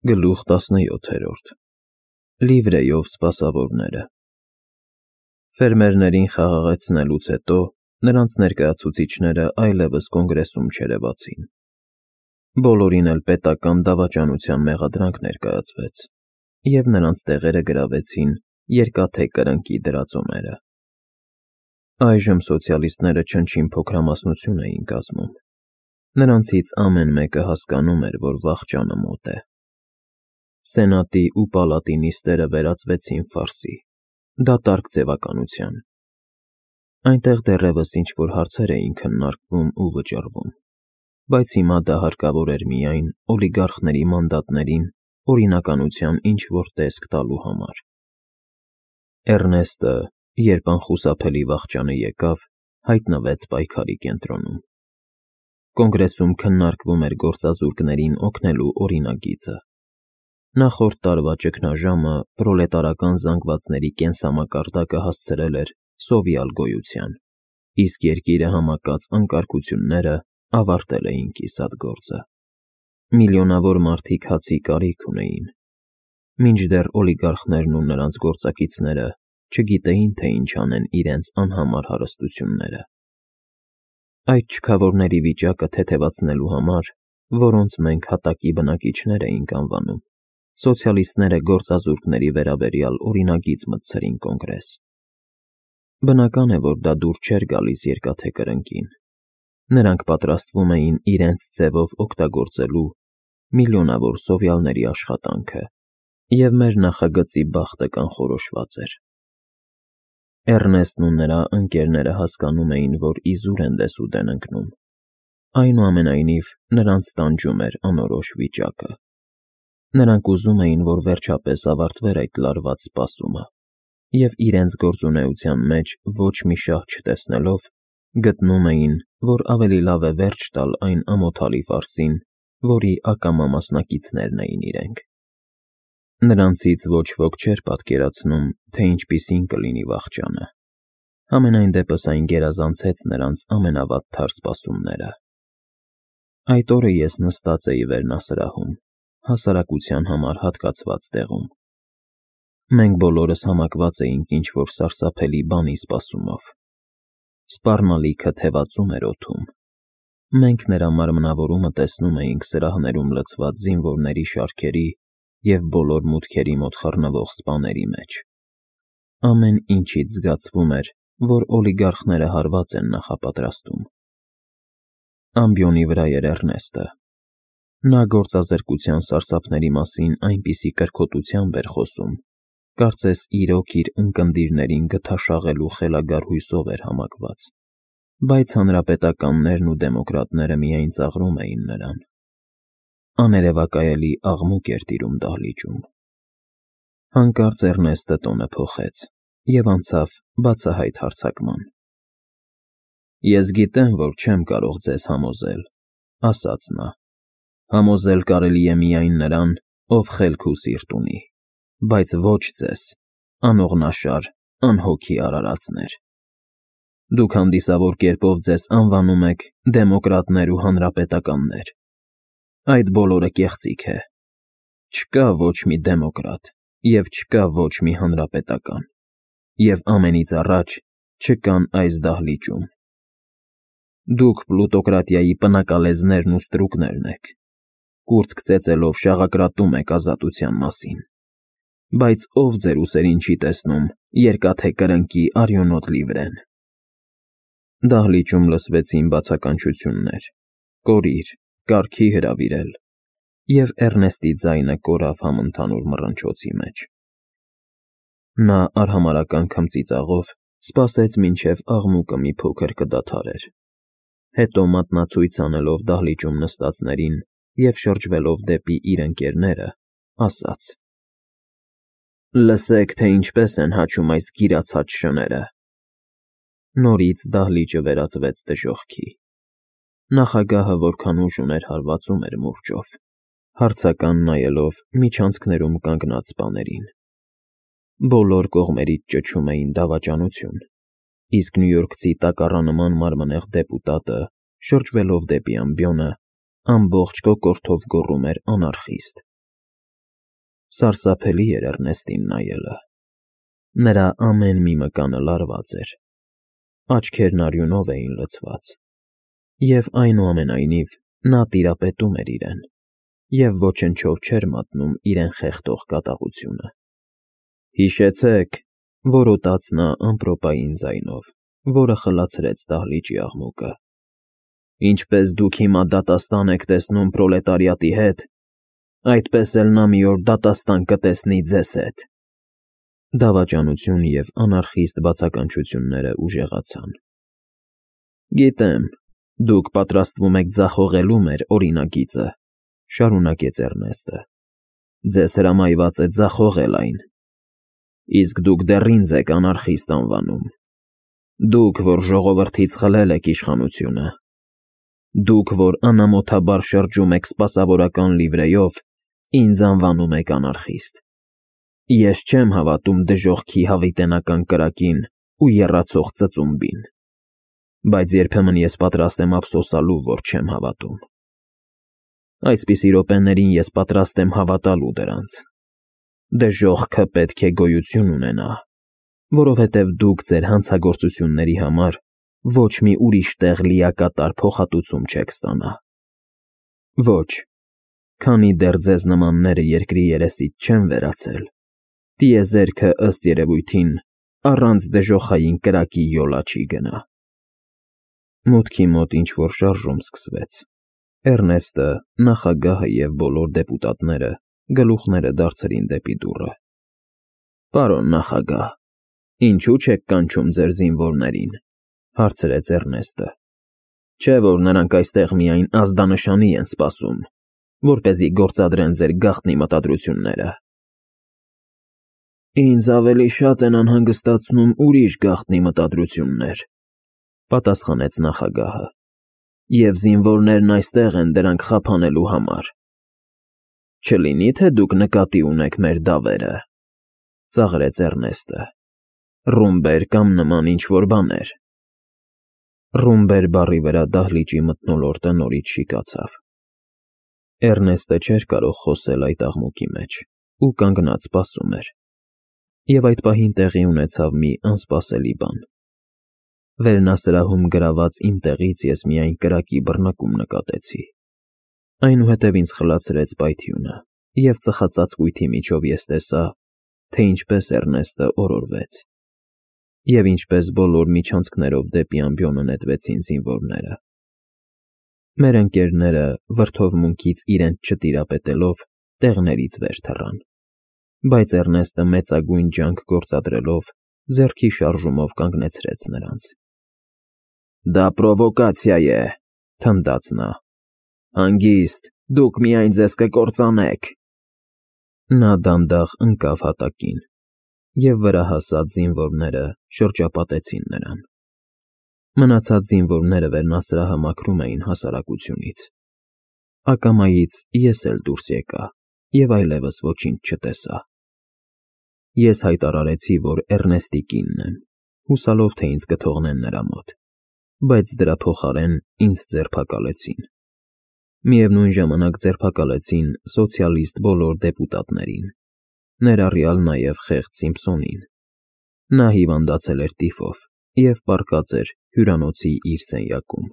Գլուխ 17 Լիվրեյով սպասավորները Ֆերմերներին խաղաղեցնելուց հետո նրանց ներկայացուցիչները այլևս կոնգրեսում չերևացին։ Բոլորին էլ պետական դավաճանության մեղադրանք ներկայացվեց, և նրանց տեղերը գրավեցին երկաթե կրնկի դրածոները։ Այժմ սոցիալիստները չնչին փոքրամասնություն էին կազմում։ Նրանցից ամեն մեկը հասկանում էր, որ վախճանը մոտ է։ Սենատի ու պալատի նիստերը վերածվեցին ֆարսի, դատարկ ձևականության։ Այնտեղ դեռևս ինչ-որ հարցեր էին քննարկվում ու վճռվում, բայց հիմա դա հարկավոր էր միայն օլիգարխների մանդատներին օրինականության ինչ-որ տեսք տալու համար։ Էռնեստը, երբ անխուսափելի վախճանը եկավ, հայտնվեց պայքարի կենտրոնում։ Կոնգրեսում քննարկվում էր գործազուրկներին օգնելու օրինագիծը։ Նախորդ տարվա ճգնաժամը պրոլետարական զանգվածների կենսամակարդակը հասցրել էր սովյալ գոյության, իսկ երկիրը համակած անկարգությունները ավարտել էին կիսատ գործը։ Միլիոնավոր մարդիկ հացի կարիք ունեին, մինչդեռ օլիգարխներն ու նրանց գործակիցները չգիտեին, թե ինչ անեն իրենց անհամար հարստությունները։ Այդ չքավորների վիճակը թեթևացնելու համար, որոնց մենք հատակի բնակիչներ էինք անվանում, սոցիալիստները գործազուրկների վերաբերյալ օրինագիծ մտցրին կոնգրես։ Բնական է, որ դա դուր չէր գալիս երկաթե կրնկին։ Նրանք պատրաստվում էին իրենց ձևով օգտագործելու միլիոնավոր սովյալների աշխատանքը, և մեր նախագծի բախտը կանխորոշված էր։ Էռնեստն ու նրա ընկերները հասկանում էին, որ իզուր են դեսուդեն ընկնում։ Այնուամենայնիվ, նրանց տանջում էր անորոշ վիճակը։ Նրանք ուզում էին, որ վերջապես ավարտվեր այդ լարված սպասումը, և իրենց գործունեության մեջ ոչ մի շահ չտեսնելով, գտնում էին, որ ավելի լավ է վերջ տալ այն ամոթալի ֆարսին, որի ակամա մասնակիցներն էին իրենք։ Նրանցից ոչ ոք չէր պատկերացնում, թե ինչպիսին կլինի վախճանը։ Համենայն դեպս այն գերազանցեց նրանց ամենավատթար սպասումները։ Այդ օրը ես նստած էի վերնասրահում, հասարակության համար հատկացված տեղում։ Մենք բոլորս համակված էինք ինչ-որ սարսափելի բանի սպասումով։ Սպառնալիքը թևածում էր օդում։ Մենք նրա մարմնավորումը տեսնում էինք սրահներում լցված զինվորների շարքերի և բոլոր մուտքերի մոտ խռնվող սպաների մեջ։ Ամեն ինչից զգացվում էր, որ օլիգարխները հարված են նախապատրաստում։ Ամբիոնի վրա էր Էռնեստը։ Նա գործազրկության սարսափների մասին այնպիսի կրքոտությամբ էր խոսում, կարծես իրոք իր ունկնդիրներին գթաշաղելու խելագար հույսով էր համակված, բայց հանրապետականներն ու դեմոկրատները միայն ծաղրում էին նրան։ Աներևակայելի աղմուկ էր տիրում դահլիճում։ Հանկարծ Էռնեստը տոնը փոխեց և անցավ բացահայտ հարձակման։ «Ես գիտեմ, որ չեմ կարող ձեզ համոզել,֊ ասաց նա,֊ համոզել կարելի է միայն նրան, ով խելք ու սիրտ ունի, բայց ոչ ձեզ, անողնաշար, անհոգի արարածներ։ Դուք հանդիսավոր կերպով ձեզ անվանում եք դեմոկրատներ ու հանրապետականներ։ Այդ բոլորը կեղծիք է։ Չկա ոչ մի դեմոկրատ և չկա ոչ մի հանրապետական, և ամենից առաջ չկան այս դահլիճում։ Դուք պլուտոկրատիայի պնակալեզներն ու ստրուկներն եք, կուրծք ծեծելով շաղակրատում եք ազատության մասին, բայց ով ձեր ուսերին չի տեսնում երկաթե կրնկի արյունոտ լիվրեն»։ Դահլիճում լսվեցին բացականչություններ, կորիր, կարգի հրավիրել, և Էռնեստի ձայնը կորավ համընդհանուր մռնչոցի մեջ։ Նա արհամարհական քմծիծաղով սպասեց, մինչև աղմուկը մի փոքր կդադարեր, հետո մատնացույց անելով դահլիճում նստածներին և շրջվելով դեպի իր ընկերները, ասաց. «Լսեք, թե ինչպես են հաչում այս գիրացած շները»։ Նորից դահլիճը վերածվեց դժոխքի։ Նախագահը որքան ուժ ուներ հարվածում էր մուրճով, հարցական նայելով միջանցքներում կանգնած սպաներին։ Բոլոր կողմերից ճչում էին դավաճանություն, իսկ նյույորքցի տակառանման մարմնեղ դեպուտատը, շրջվելով դեպի ամբիոնը, ամբողջ կոկորդով գոռում էր անարխիստ։ Սարսափելի էր Էռնեստին նայելը։ Նրա ամեն մի մկանը լարված էր, աչքերն արյունով էին լցված, և այնուամենայնիվ նա տիրապետում էր իրեն, և ոչնչով չէր մատնում իրեն խեղդող կատաղությունը։ «Հիշեցեք», որոտաց նա ամպրոպային ձայնով, որը խլացրեց դահլիճի աղմուկը, «ինչպես դուք հիմա դատաստան եք տեսնում պրոլետարիատի հետ, այդպես էլ նա մի օր դատաստան կտեսնի ձեզ հետ»։ Դավաճանություն և անարխիստ բացականչությունները ուժեղացան։ «Գիտեմ, դուք պատրաստվում եք ձախողելու մեր օրինագիծը», շարունակեց Էռնեստը։ «Ձեզ հրամայված է ձախողել այն։ Իսկ դուք դեռ ինձ եք անարխիստ անվանում։ Դուք, որ ժողովրդից խլել եք իշխանությունը։ Դուք, որ անամոթաբար շրջում եք սպասավորական լիվրեյով, ինձ անվանում եք անարխիստ։ Ես չեմ հավատում դժոխքի հավիտենական կրակին ու եռացող ծծումբին, բայց երբեմն ես պատրաստ եմ ափսոսալու, որ չեմ հավատում։ Այսպիսի րոպեներին ես պատրաստ եմ հավատալու դրանց։ Դժոխքը պետք է գոյություն ունենա, որովհետև դուք ձեր հանցագործությունների համար ոչ մի ուրիշ տեղ լիակատար փոխհատուցում չեք ստանա։ Ոչ, քանի դեռ ձեզ նմանները երկրի երեսից չեն վերացել, տիեզերքը ըստ երևույթին առանց դժոխային կրակի յոլա չի գնա։ Մուտքի մոտ ինչ-որ շարժում սկսվեց։ Էռնեստը, նախագահը և բոլոր դեպուտատները գլուխները դարձրին դեպի դուռը։ «Պարոն նախագահ, ինչու չեք կանչում ձեր զինվորներին», հարցրեց Էռնեստը։ «Չէ՞ որ նրանք այստեղ միայն ազդանշանի են սպասում, որպեսզի գործադրեն ձեր գաղտնի մտադրությունները»։ «Ինձ ավելի շատ են անհանգստացնում ուրիշ գաղտնի մտադրություններ», պատասխանեց նախագահը, «և զինվորներն այստեղ են դրանք խափանելու համար»։ «Չլինի՞ թե դուք նկատի ունեք մեր դավերը», ծաղրեց Էռնեստը։ «Ռումբեր կամ նման ինչ֊որ բաներ»։ «Ռումբեր» բառի վրա դահլիճի մթնոլորտը նորից շիկացավ։ Էռնեստը չէր կարող խոսել այդ աղմուկի մեջ ու կանգնած սպասում էր։ Եվ այդ պահին տեղի ունեցավ մի անսպասելի բան։ Վերնասրահում գրաված իմ տեղից ես միայն կրակի բռնկում նկատեցի։ Այնուհետև ինձ խլացրեց պայթյունը, և ծխածածկույթի միջով ես տեսա, թե ինչպես Էռնեստը օրորվեց, և ինչպես բոլոր միջանցքներով դեպի ամբիոնը նետվեցին զինվորները։ Մեր ընկերները, վրդովմունքից իրենց չտիրապետելով, տեղներից վեր թռան, բայց Էռնեստը մեծագույն ջանք գործադրելով ձեռքի շարժումով կանգնեցրեց նրանց։ «Դա պրովոկացիա է», թնդաց նա։ «Հանգիստ, դուք միայն ձեզ կկործանեք»։ Նա դանդաղ ընկավ հատակին, և վրա հասած զինվորները շրջապատեցին նրան։ Մնացած զինվորները վերնասրահը մաքրում էին հասարակությունից։ Ակամայից ես էլ դուրս եկա և այլևս ոչինչ չտեսա։ Ես հայտարարեցի, որ Էռնեստի կինն եմ, հուսալով, թե ինձ կթողնեն նրա մոտ, բայց դրա փոխարեն ինձ ձերբակալեցին։ Միևնույն ժամանակ ձերբակալեցին սոցիալիստ բոլոր դեպուտատներին, ներառյալ նաև խեղճ Սիմփսոնին։ Նա հիվանդացել էր տիֆով և պառկած էր հյուրանոցի իր սենյակում։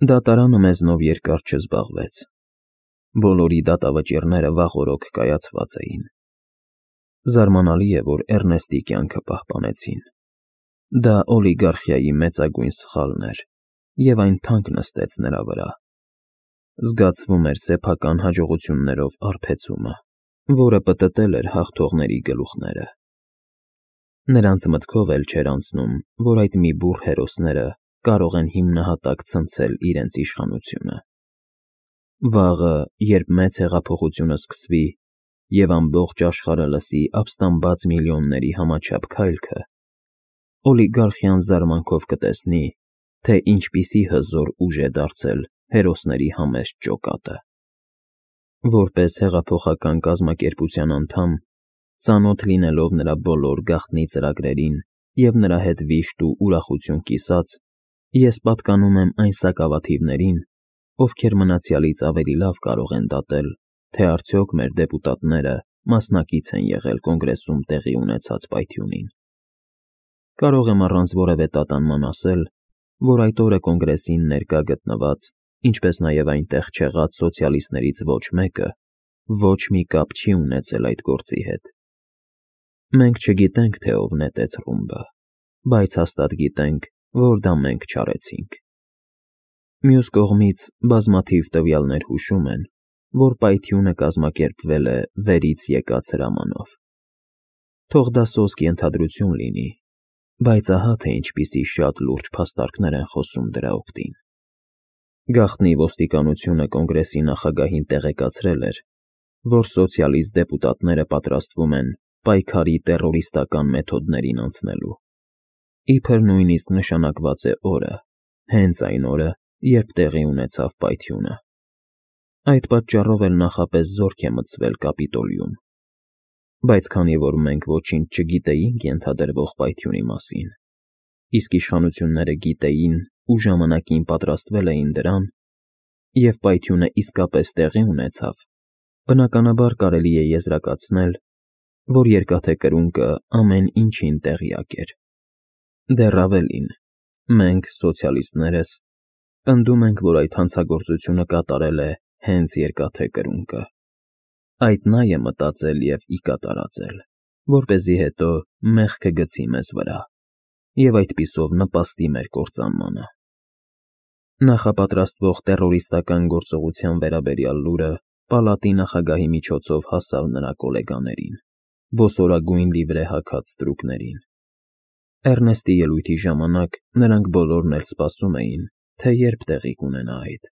Դատարանը մեզնով երկար չզբաղվեց։ Բոլորի դատավճիռները վաղօրոք կայացված էին։ Զարմանալի է, որ Էռնեստի կյանքը պահպանեցին։ Դա օլիգարխիայի մեծագույն սխալն էր, և այն թանկ նստեց նրա վրա։ Զգացվում էր սեփական հաջողություններով արբեցումը, որը պտտել էր հաղթողների գլուխները։ Նրանց մտքով էլ չէր անցնում, որ այդ մի բուռ հերոսները կարող են հիմնահատակ ցնցել իրենց իշխանությունը։ Վաղը, երբ մեծ հեղափոխությունը սկսվի և ամբողջ աշխարհը լսի ապստամբած միլիոնների համաչափ քայլքը, օլիգարխիան զարմանքով կտեսնի, թե ինչպիսի հզոր ուժ է դարձել հերոսների համեստ ջոկատը։ Որպես հեղափոխական կազմակերպության անդամ, ծանոթ լինելով նրա բոլոր գաղտնի ծրագրերին և նրա հետ վիշտ ու ուրախություն կիսած, ես պատկանում եմ այն սակավաթիվներին, ովքեր մնացյալից ավելի լավ կարող են դատել թե արդյոք մեր դեպուտատները մասնակից են եղել կոնգրեսում տեղի ունեցած պայթյունին։ Կարող եմ առանց որևէ տատանման ասել, որ այդ օրը կոնգրեսին ներկա գտնված, ինչպես նաև այնտեղ չեղած սոցիալիստներից ոչ մեկը ոչ մի կապ չի ունեցել այդ գործի հետ։ Մենք չգիտենք, թե ով նետեց ռումբը, բայց հաստատ գիտենք, որ դա մենք չարեցինք։ Մյուս կողմից բազմաթիվ տվյալներ հուշում են, որ պայթյունը կազմակերպվել է վերից եկած հրամանով։ Թող դա սոսկ ենթադրություն լինի, բայց ահա թե ինչպիսի շատ լուրջ փաստարկներ են խոսում դրա օգտին։ Գաղտնի ոստիկանությունը կոնգրեսի նախագահին տեղեկացրել էր, որ սոցիալիստ դեպուտատները պատրաստվում են պայքարի տեռորիստական մեթոդներին անցնելու։ Իբր նույնիսկ նշանակված է օրը, հենց այն օրը, երբ տեղի ունեցավ պայթյունը։ Այդ պատճառով էլ նախապես զորք է մտցվել Կապիտոլիում։ Բայց քանի որ մենք ոչինչ չգիտեինք ենթադրվող պայթյունի մասին, իսկ իշխանությունները գիտեին ու ժամանակին պատրաստվել էին դրան, և պայթյունը իսկապես տեղի ունեցավ, բնականաբար կարելի է եզրակացնել, որ Երկաթե Կրունկը ամեն ինչին տեղյակ էր։ Դեռ ավելին, մենք, սոցիալիստներս, պնդում ենք, որ այդ հանցագործությունը կատարել է հենց Երկաթե Կրունկը։ Այդ նա է մտածել և ի կատար ածել, որպեսզի հետո մեղքը գցի մեզ վրա և այդպիսով նպաստի մեր կործանմանը։ Նախապատրաստվող տեռորիստական գործողության վերաբերյալ լուրը պալատի նախագահի միջոցով հասավ նրա կոլեգաներին, ոսորագույն լիվրե հագած ստրուկներին։ Էռնեստի ելույթի ժամանակ նրանք բոլորն էլ սպասում էին, թե երբ տեղի կունենա այդ։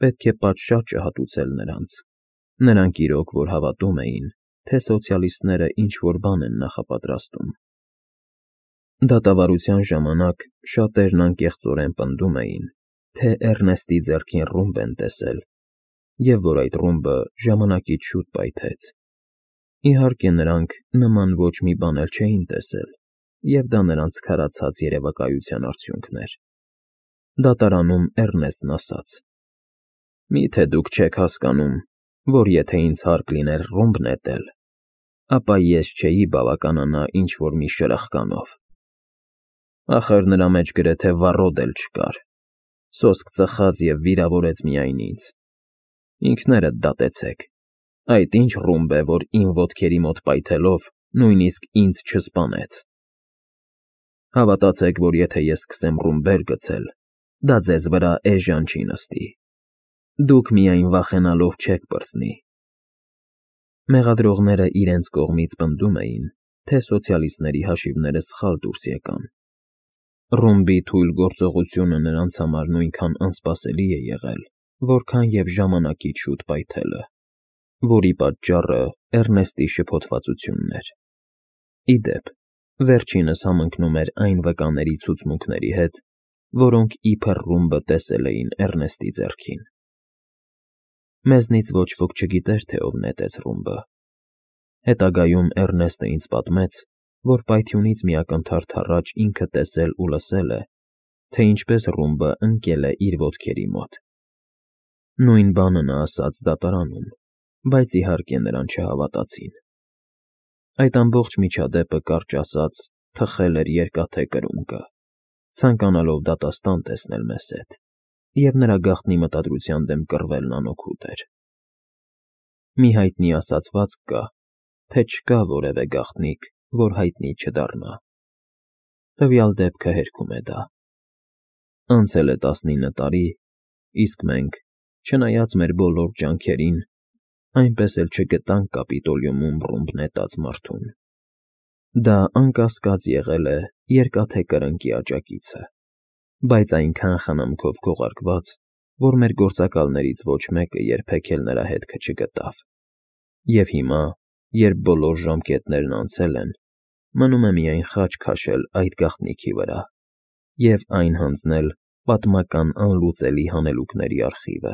Պետք է պատշաճ չհատուցել նրանց։ Նրանք իրոք որ հավատում էին, թե սոցիալիստները ինչ-որ բան են նախապատրաստում։ Դատավարության ժամանակ շատերն անկեղծորեն պնդում էին, թե Էռնեստի ձեռքին ռումբ են տեսել, և որ այդ ռումբը ժամանակից շուտ պայթեց։ Իհարկե նրանք նման ոչ մի բան էլ չէին տեսել, և դա նրանց քարացած երևակայության արդյունքն էր։ Դատարանում Էռնեստն ասաց. «Մի՞թե դուք չեք հասկանում, որ եթե ինձ հարկ լիներ ռումբ նետել, ապա ես չէի բավականանա ինչ-որ մի շրխկանով։ Ախր նրա մեջ գրեթե վառոդ էլ չկար, սոսկ ծխաց և վիրավորեց միայն ինձ։ Ինքներդ դատեցեք, այդ ինչ ռումբ է, որ իմ ոտքերի մոտ պայթելով նույնիսկ ինձ չսպանեց։ Հավատացեք, որ եթե ես սկսեմ ռումբեր գցել, դա ձեզ վրա էժան չի նստի։ Դուք միայն վախենալով չեք պրծնի»։ Մեղադրողները իրենց կողմից պնդում էին, թե սոցիալիստների հաշիվները սխալ դուրս եկան։ Ռումբի թույլ գործողությունը նրանց համար նույնքան անսպասելի է եղել, որքան և ժամանակից շուտ պայթելը, որի պատճառը Էռնեստի շփոթվածությունն էր։ Ի դեպ, վերջինս համընկնում էր այն վկաների ցուցմունքների հետ, որոնք իբր ռումբը տեսել էին Էռնեստի ձեռքին։ Մեզնից ոչ ոք չգիտեր, թե ով նետեց ռումբը։ Հետագայում Էռնեստը ինձ պատմեց, որ պայթյունից մի ակնթարթ առաջ ինքը տեսել ու լսել է, թե ինչպես ռումբը ընկել է իր ոտքերի մոտ։ Նույն բանը նա ասաց դատարանում, բայց իհարկե նրան չհավատացին։ Այդ ամբողջ միջադեպը, կարճ ասած, թխել էր Երկաթե Կրունկը, ցանկանալով դատաստան տեսնել մեզ հետ, և նրա գաղտնի մտադրության դեմ կռվելն անօգուտ էր։ Մի հայտնի ասացվածք կա, թե չկա որևէ գաղտնիք, որ հայտնի չդառնա։ Տվյալ դեպքը հերքում է դա։ Անցել է 19 տարի, իսկ մենք, չնայած մեր բոլոր ջանքերին, այնպես էլ չգտանք Կապիտոլիումում ռումբ նետած մարդուն։ Դա անկասկած եղել է Երկաթե Կրնկի աջակիցը, բայց այնքան խնամքով քողարկված, որ մեր գործակալներից ոչ մեկը երբեք էլ նրա հետքը չգտավ։ Եվ հիմա, երբ բոլոր ժամկետներն անցել են, մնում է միայն խաչ քաշել այդ գաղտնիքի վրա և այն հանձնել պատմական անլուծելի հանելուկների արխիվը։